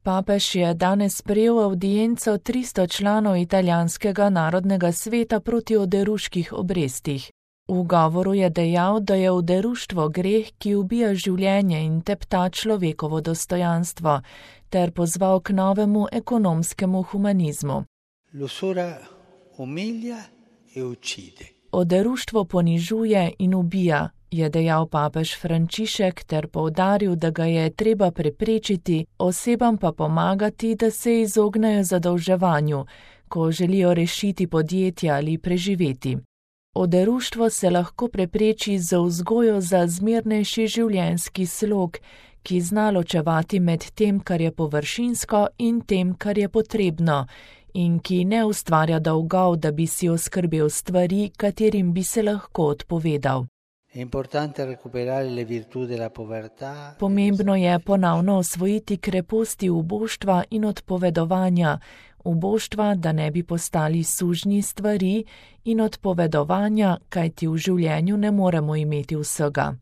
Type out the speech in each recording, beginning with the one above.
Papež je danes sprejel avdienco 300 članov italijanskega narodnega sveta proti oderuških obrestih. V govoru je dejal, da je oderuštvo greh, ki ubija življenje in tepta človekovo dostojanstvo, ter pozval k novemu ekonomskemu humanizmu. L'usura umilia e uccide. Oderuštvo ponižuje in ubija, je dejal papež Frančišek ter poudaril, da ga je treba preprečiti, osebam pa pomagati, da se izognejo zadolževanju, ko želijo rešiti podjetje ali preživeti. Oderuštvo se lahko prepreči z vzgojo za zmernejši življenjski slog, ki zna ločevati med tem, kar je površinsko, in tem, kar je potrebno, in ki ne ustvarja dolgov, da bi si oskrbel stvari, katerim bi se lahko odpovedal. Pomembno je ponovno osvojiti kreposti uboštva in odpovedovanja, uboštva, da ne bi postali sužnji stvari, in odpovedovanja, kajti v življenju ne moremo imeti vsega.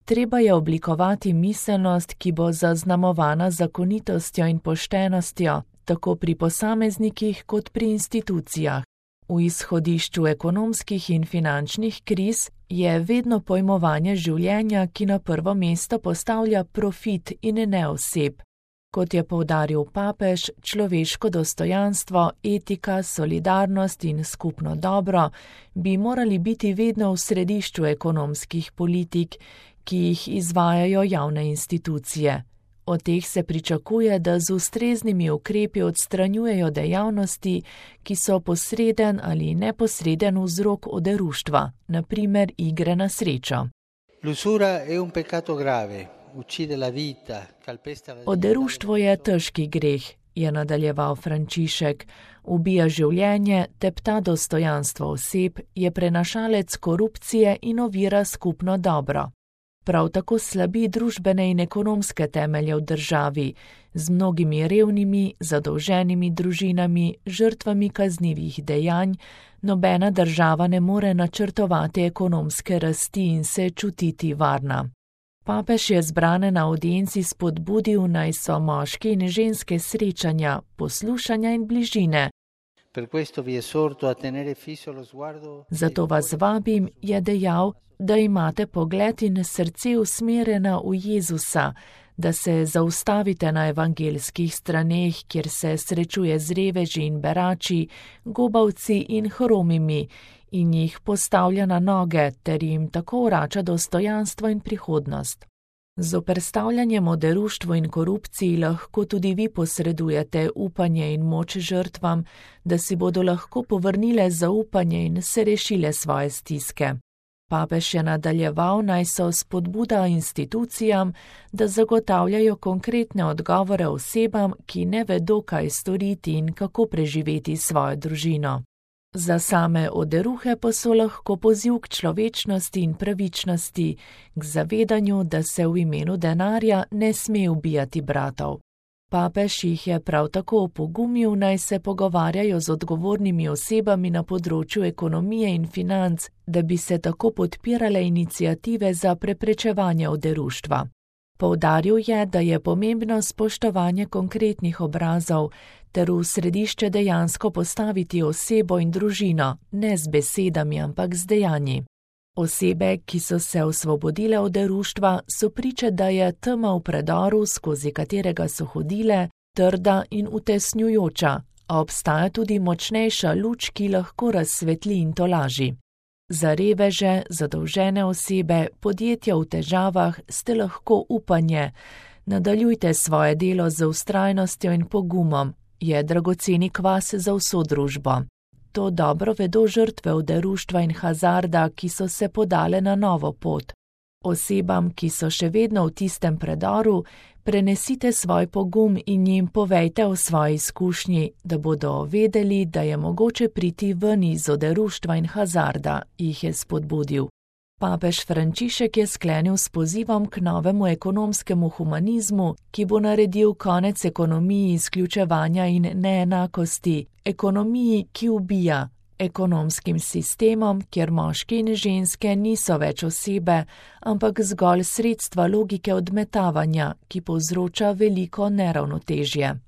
Treba je oblikovati miselnost, ki bo zaznamovana zakonitostjo in poštenostjo, tako pri posameznikih kot pri institucijah. V izhodišču ekonomskih in finančnih kriz je vedno pojmovanje življenja, ki na prvo mesto postavlja profit in ne oseb. Kot je poudaril papež, človeško dostojanstvo, etika, solidarnost in skupno dobro bi morali biti vedno v središču ekonomskih politik, ki jih izvajajo javne institucije. Od teh se pričakuje, da z ustreznimi ukrepi odstranjujejo dejavnosti, ki so posreden ali neposreden vzrok oderuštva, na primer igre na srečo. Oderuštvo je težki greh, je nadaljeval Frančišek. Ubija življenje, tepta dostojanstvo oseb, je prenašalec korupcije in ovira skupno dobro. Prav tako slabi družbene in ekonomske temelje v državi, z mnogimi revnimi, zadolženimi družinami, žrtvami kaznivih dejanj, nobena država ne more načrtovati ekonomske rasti in se čutiti varna. Papež je zbrane na avdienci spodbudil, naj so moški in ženske srečanja, poslušanja in bližine. Zato vas vabim, je dejal, da imate pogled in srce usmerjena v Jezusa, da se zaustavite na evangelskih straneh, kjer se srečuje z reveži in berači, gobavci in hromimi, in jih postavlja na noge, ter jim tako vrača dostojanstvo in prihodnost. Z zoperstavljanjem oderuštvu in korupciji lahko tudi vi posredujete upanje in moč žrtvam, da si bodo lahko povrnile zaupanje in se rešile svoje stiske. Papež je nadaljeval, naj so spodbuda institucijam, da zagotavljajo konkretne odgovore osebam, ki ne vedo, kaj storiti in kako preživeti svojo družino. Za same oderuhe pa so lahko poziv k človečnosti in pravičnosti, k zavedanju, da se v imenu denarja ne sme ubijati bratov. Papež jih je prav tako opogumil, naj se pogovarjajo z odgovornimi osebami na področju ekonomije in financ, da bi se tako podpirale iniciative za preprečevanje oderuštva. Poudaril je, da je pomembno spoštovanje konkretnih obrazov, ter v središče dejansko postaviti osebo in družino, ne z besedami, ampak z dejanji. Osebe, ki so se osvobodile oderuštva, so priče, da je tema v predoru, skozi katerega so hodile, trda in utesnjujoča, a obstaja tudi močnejša luč, ki lahko razsvetli in tolaži. Za reveže, zadolžene osebe, podjetja v težavah ste lahko upanje. Nadaljujte svoje delo z vztrajnostjo in pogumom, je dragoceni kvas za vso družbo. To dobro vedo žrtve oderuštva in hazarda, ki so se podale na novo pot. Osebam, ki so še vedno v tistem predoru, prenesite svoj pogum in jim povejte o svoji izkušnji, da bodo vedeli, da je mogoče priti ven iz oderuštva in hazarda, jih je spodbudil. Papež Frančišek je sklenil s pozivom k novemu ekonomskemu humanizmu, ki bo naredil konec ekonomiji izključevanja in neenakosti, ekonomiji, ki ubija, ekonomskim sistemom, kjer moški in ženske niso več osebe, ampak zgolj sredstva logike odmetavanja, ki povzroča veliko neravnotežje.